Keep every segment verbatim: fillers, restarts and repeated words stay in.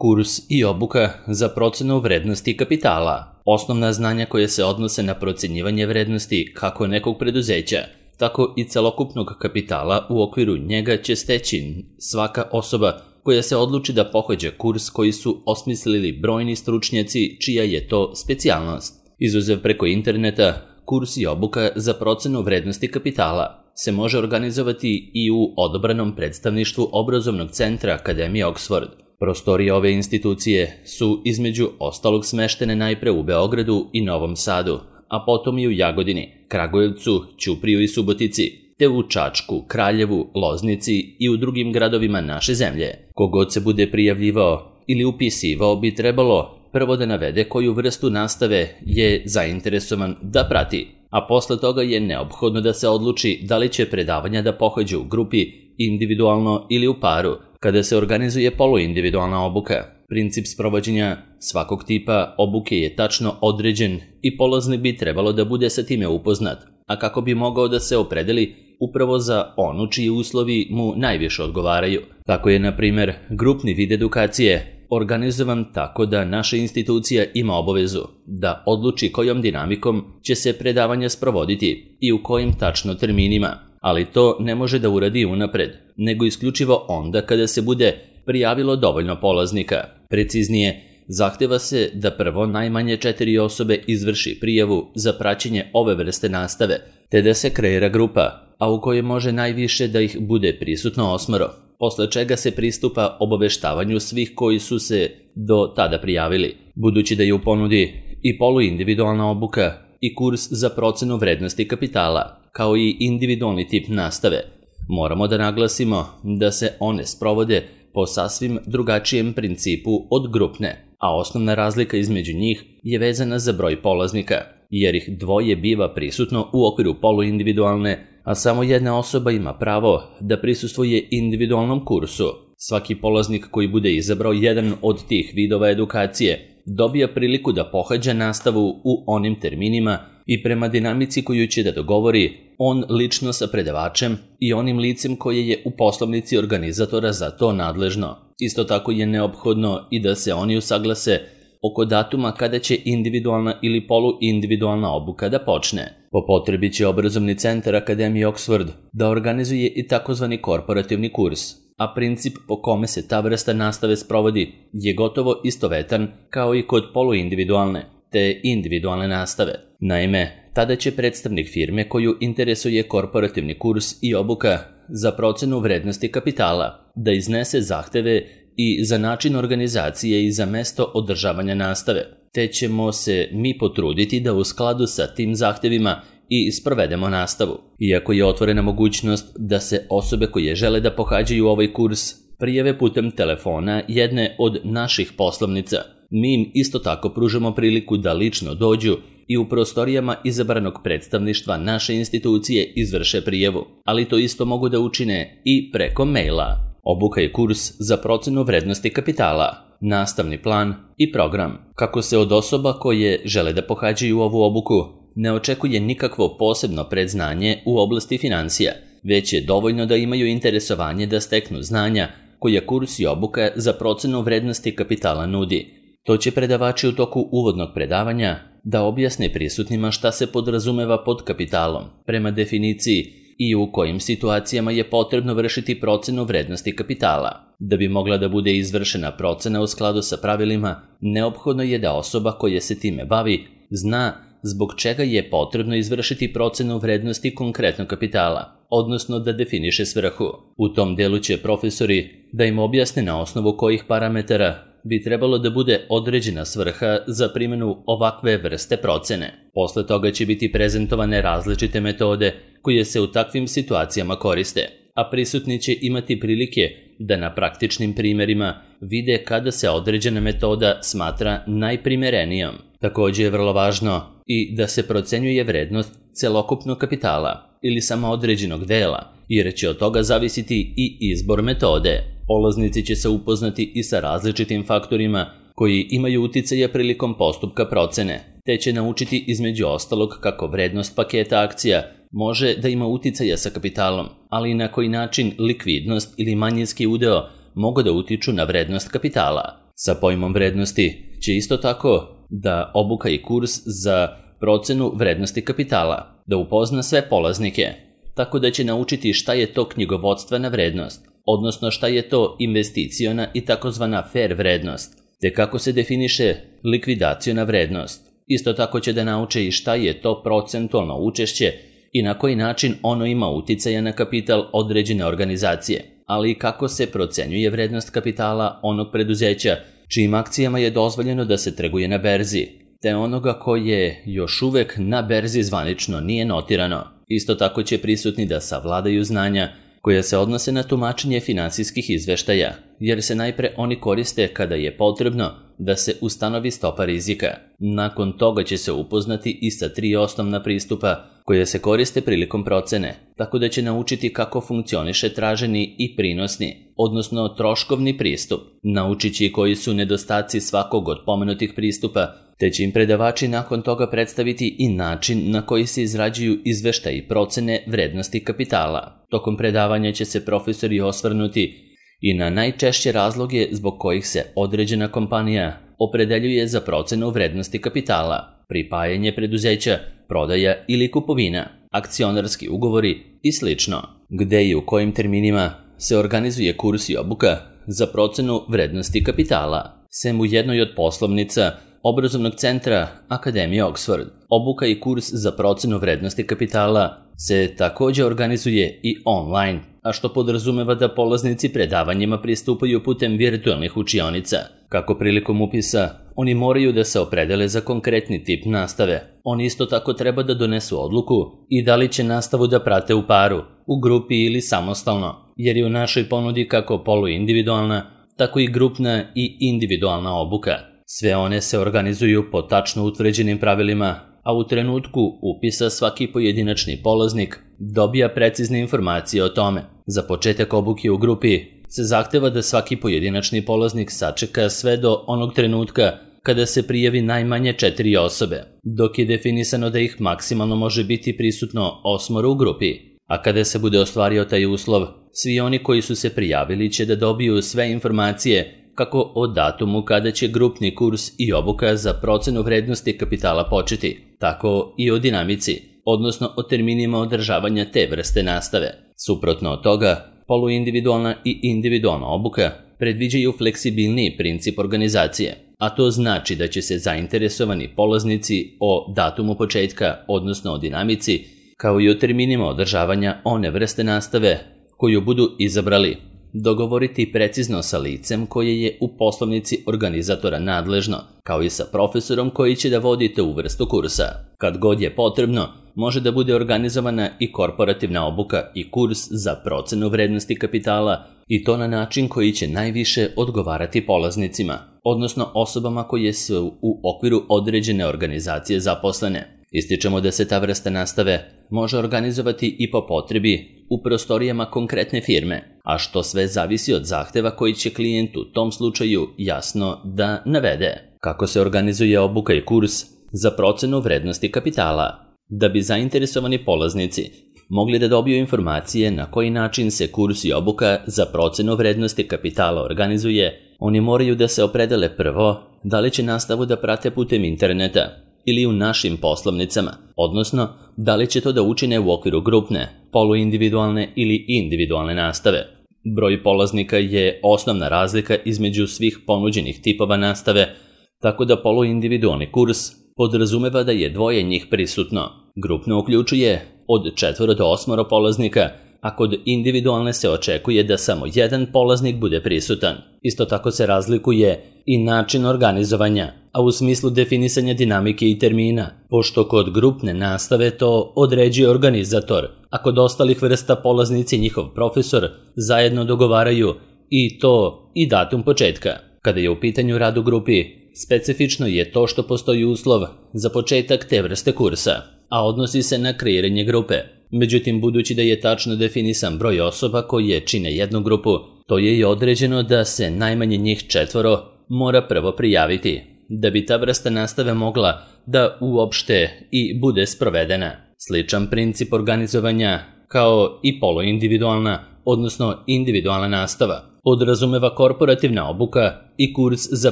Kurs i obuka za procenu vrednosti kapitala. Osnovna znanja koje se odnose na procenjivanje vrednosti kako nekog preduzeća, tako i celokupnog kapitala u okviru njega će steći svaka osoba koja se odluči da pohađa kurs koji su osmislili brojni stručnjaci čija je to specijalnost. Izuzev preko interneta, kurs i obuka za procenu vrednosti kapitala se može organizovati i u odabranom predstavništvu obrazovnog centra Akademije Oxford. Prostorije ove institucije su između ostalog smeštene najpre u Beogradu i Novom Sadu, a potom i u Jagodini, Kragujevcu, Ćupriju i Subotici, te u Čačku, Kraljevu, Loznici i u drugim gradovima naše zemlje. Kogod se bude prijavljivao ili upisivao bi trebalo prvo da navede koju vrstu nastave je zainteresovan da prati, a posle toga je neophodno da se odluči da li će predavanja da pohađa u grupi, individualno ili u paru, kada se organizuje poluindividualna obuka. Princip sprovođenja svakog tipa obuke je tačno određen i polaznik bi trebalo da bude sa time upoznat, a kako bi mogao da se opredeli upravo za onu čiji uslovi mu najviše odgovaraju. Tako je, na primjer, grupni vid edukacije organizovan tako da naša institucija ima obavezu da odluči kojom dinamikom će se predavanja sprovoditi i u kojim tačno terminima, ali to ne može da uradi unapred, nego isključivo onda kada se bude prijavilo dovoljno polaznika. Preciznije, zahteva se da prvo najmanje četiri osobe izvrši prijavu za praćenje ove vrste nastave, te da se kreira grupa, a u kojoj može najviše da ih bude prisutno osmoro, posle čega se pristupa obaveštavanju svih koji su se do tada prijavili. Budući da je u ponudi i poluindividualna obuka i kurs za procenu vrednosti kapitala, kao i individualni tip nastave, moramo da naglasimo da se one sprovode po sasvim drugačijem principu od grupne, a osnovna razlika između njih je vezana za broj polaznika, jer ih dvoje biva prisutno u okviru poluindividualne, a samo jedna osoba ima pravo da prisustvuje individualnom kursu. Svaki polaznik koji bude izabrao jedan od tih vidova edukacije dobija priliku da pohađa nastavu u onim terminima i prema dinamici koju će da dogovori on lično sa predavačem i onim licem koje je u poslovnici organizatora za to nadležno. Isto tako je neophodno i da se oni usaglase oko datuma kada će individualna ili poluindividualna obuka da počne. Po potrebi će obrazovni centar Akademije Oxford da organizuje i takozvani korporativni kurs, a princip po kome se ta vrsta nastave sprovodi je gotovo istovetan kao i kod poluindividualne te individualne nastave. Naime, tada će predstavnik firme koju interesuje korporativni kurs i obuka za procenu vrednosti kapitala da iznese zahteve i za način organizacije i za mesto održavanja nastave, te ćemo se mi potruditi da u skladu sa tim zahtevima i sprovedemo nastavu. Iako je otvorena mogućnost da se osobe koje žele da pohađaju ovaj kurs prijave putem telefona jedne od naših poslovnica, mi im isto tako pružamo priliku da lično dođu i u prostorijama izabranog predstavništva naše institucije izvrše prijavu, ali to isto mogu da učine i preko maila. Obuka je kurs za procenu vrednosti kapitala, nastavni plan i program. Kako se od osoba koje žele da pohađaju ovu obuku ne očekuje nikakvo posebno predznanje u oblasti financija, već je dovoljno da imaju interesovanje da steknu znanja koja kurs i obuka za procenu vrednosti kapitala nudi. To će predavači u toku uvodnog predavanja da objasne prisutnima šta se podrazumeva pod kapitalom, prema definiciji i u kojim situacijama je potrebno vršiti procenu vrednosti kapitala. Da bi mogla da bude izvršena procena u skladu sa pravilima, neophodno je da osoba koja se time bavi zna zbog čega je potrebno izvršiti procenu vrednosti konkretnog kapitala, odnosno da definiše svrhu. U tom delu će profesori da im objasne na osnovu kojih parametara bi trebalo da bude određena svrha za primjenu ovakve vrste procene. Posle toga će biti prezentovane različite metode koje se u takvim situacijama koriste, a prisutni će imati prilike da na praktičnim primjerima vide kada se određena metoda smatra najprimerenijom. Također je vrlo važno i da se procenjuje vrednost celokupnog kapitala ili samo određenog dela, jer će od toga zavisiti i izbor metode. Polaznici će se upoznati i sa različitim faktorima koji imaju uticaja prilikom postupka procene, te će naučiti između ostalog kako vrednost paketa akcija može da ima uticaja sa kapitalom, ali i na koji način likvidnost ili manjinski udeo mogu da utiču na vrednost kapitala. Sa pojmom vrednosti će isto tako da obuka i kurs za procenu vrednosti kapitala, da upozna sve polaznike, tako da će naučiti šta je to knjigovodstvena vrednost, odnosno šta je to investiciona i takozvana fair vrednost, te kako se definiše likvidaciona vrednost. Isto tako će da nauče i šta je to procentualno učešće i na koji način ono ima uticaja na kapital određene organizacije, ali i kako se procenjuje vrednost kapitala onog preduzeća čijim akcijama je dozvoljeno da se trguje na berzi, te onoga koje još uvek na berzi zvanično nije notirano. Isto tako će prisutni da savladaju znanja koja se odnose na tumačenje finansijskih izveštaja, jer se najpre oni koriste kada je potrebno da se ustanovi stopa rizika. Nakon toga će se upoznati i sa tri osnovna pristupa koje se koriste prilikom procene, tako da će naučiti kako funkcioniše traženi i prinosni, odnosno troškovni pristup. Naučit će i koji su nedostaci svakog od pomenutih pristupa, te će im predavači nakon toga predstaviti i način na koji se izrađuju izveštaji i procene vrednosti kapitala. Tokom predavanja će se profesori osvrnuti i na najčešće razloge zbog kojih se određena kompanija opredeljuje za procenu vrednosti kapitala, pripajanje preduzeća, prodaja ili kupovina, akcionarski ugovori i slično. Gde i u kojim terminima se organizuje kurs i obuka za procenu vrednosti kapitala. Sem u jednoj od poslovnica obrazovnog centra Akademije Oxford, obuka i kurs za procenu vrednosti kapitala se također organizuje i online, a što podrazumeva da polaznici predavanjima pristupaju putem virtualnih učionica. Kako prilikom upisa, oni moraju da se opredele za konkretni tip nastave. Oni isto tako treba da donesu odluku i da li će nastavu da prate u paru, u grupi ili samostalno, jer je u našoj ponudi kako poluindividualna, tako i grupna i individualna obuka. Sve one se organizuju po tačno utvrđenim pravilima, a u trenutku upisa svaki pojedinačni polaznik dobija precizne informacije o tome. Za početak obuke u grupi se zahteva da svaki pojedinačni polaznik sačeka sve do onog trenutka kada se prijavi najmanje četiri osobe, dok je definisano da ih maksimalno može biti prisutno osmoro u grupi. A kada se bude ostvario taj uslov, svi oni koji su se prijavili će da dobiju sve informacije kako o datumu kada će grupni kurs i obuka za procenu vrednosti kapitala početi, tako i o dinamici, odnosno o terminima održavanja te vrste nastave. Suprotno od toga, poluindividualna i individualna obuka predviđaju fleksibilniji princip organizacije, a to znači da će se zainteresovani polaznici o datumu početka, odnosno o dinamici, kao i o terminima održavanja one vrste nastave koju budu izabrali, dogovoriti precizno sa licem koje je u poslovnici organizatora nadležno, kao i sa profesorom koji će da vodi tu vrstu kursa. Kad god je potrebno, može da bude organizovana i korporativna obuka i kurs za procenu vrednosti kapitala, i to na način koji će najviše odgovarati polaznicima, odnosno osobama koje su u okviru određene organizacije zaposlene. Ističemo da se ta vrsta nastave može organizovati i po potrebi u prostorijama konkretne firme, a što sve zavisi od zahteva koji će klijent u tom slučaju jasno da navede. Kako se organizuje obuka i kurs za procenu vrednosti kapitala? Da bi zainteresovani polaznici mogli da dobiju informacije na koji način se kurs i obuka za procenu vrednosti kapitala organizuje, oni moraju da se opredele prvo da li će nastavu da prate putem interneta ili u našim poslovnicama, odnosno da li će to da učine u okviru grupne, poluindividualne ili individualne nastave. Broj polaznika je osnovna razlika između svih ponuđenih tipova nastave, tako da poluindividualni kurs podrazumeva da je dvoje njih prisutno. Grupno uključuje od četvoro do osmoro polaznika, a kod individualne se očekuje da samo jedan polaznik bude prisutan. Isto tako se razlikuje i način organizovanja, a u smislu definisanja dinamike i termina, pošto kod grupne nastave to određuje organizator, a kod ostalih vrsta polaznici i njihov profesor zajedno dogovaraju i to i datum početka. Kada je u pitanju rad u grupi, specifično je to što postoji uslov za početak te vrste kursa, a odnosi se na kreiranje grupe. Međutim, budući da je tačno definisan broj osoba koje čine jednu grupu, to je i određeno da se najmanje njih četvoro mora prvo prijaviti, da bi ta vrsta nastave mogla da uopšte i bude sprovedena. Sličan princip organizovanja kao i poluindividualna, odnosno individualna nastava, podrazumeva korporativna obuka i kurs za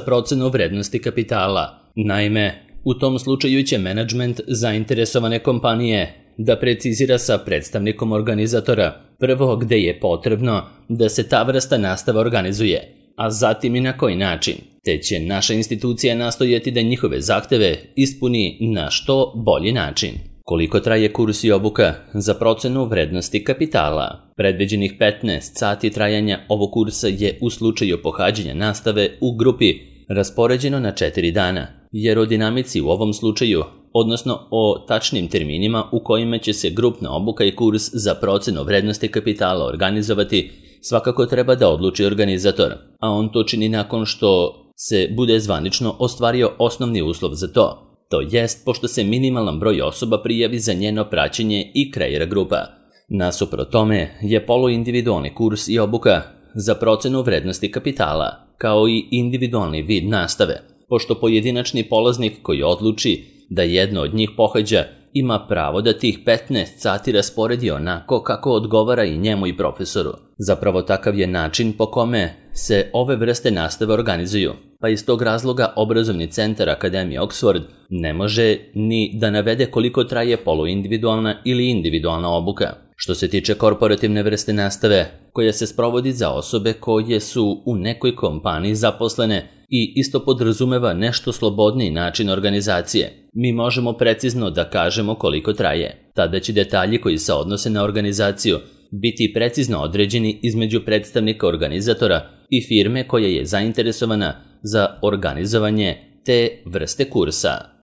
procenu vrednosti kapitala. Naime, u tom slučaju će menadžment zainteresovane kompanije da precizira sa predstavnikom organizatora prvo gde je potrebno da se ta vrsta nastave organizuje, a zatim i na koji način, te će naša institucija nastojati da njihove zahteve ispuni na što bolji način. Koliko traje kurs i obuka za procenu vrednosti kapitala? Predviđenih petnaest sati trajanja ovog kursa je u slučaju pohađanja nastave u grupi raspoređeno na četiri dana, jer o dinamici u ovom slučaju, odnosno o tačnim terminima u kojima će se grupna obuka i kurs za procenu vrednosti kapitala organizovati, svakako treba da odluči organizator, a on to čini nakon što se bude zvanično ostvario osnovni uslov za to. To jest pošto se minimalan broj osoba prijavi za njeno praćenje i kreira grupa. Nasuprot tome je poluindividualni kurs i obuka za procenu vrednosti kapitala, kao i individualni vid nastave, pošto pojedinačni polaznik koji odluči da jedno od njih pohađa ima pravo da tih petnaest sati rasporedi onako kako odgovara i njemu i profesoru. Zapravo takav je način po kome se ove vrste nastave organizuju, pa iz tog razloga obrazovni centar Akademije Oxford ne može ni da navede koliko traje poluindividualna ili individualna obuka. Što se tiče korporativne vrste nastave, koja se sprovodi za osobe koje su u nekoj kompaniji zaposlene i isto podrazumeva nešto slobodniji način organizacije, mi možemo precizno da kažemo koliko traje. Tada će detalji koji se odnose na organizaciju biti precizno određeni između predstavnika organizatora i firme koja je zainteresovana za organizovanje te vrste kursa.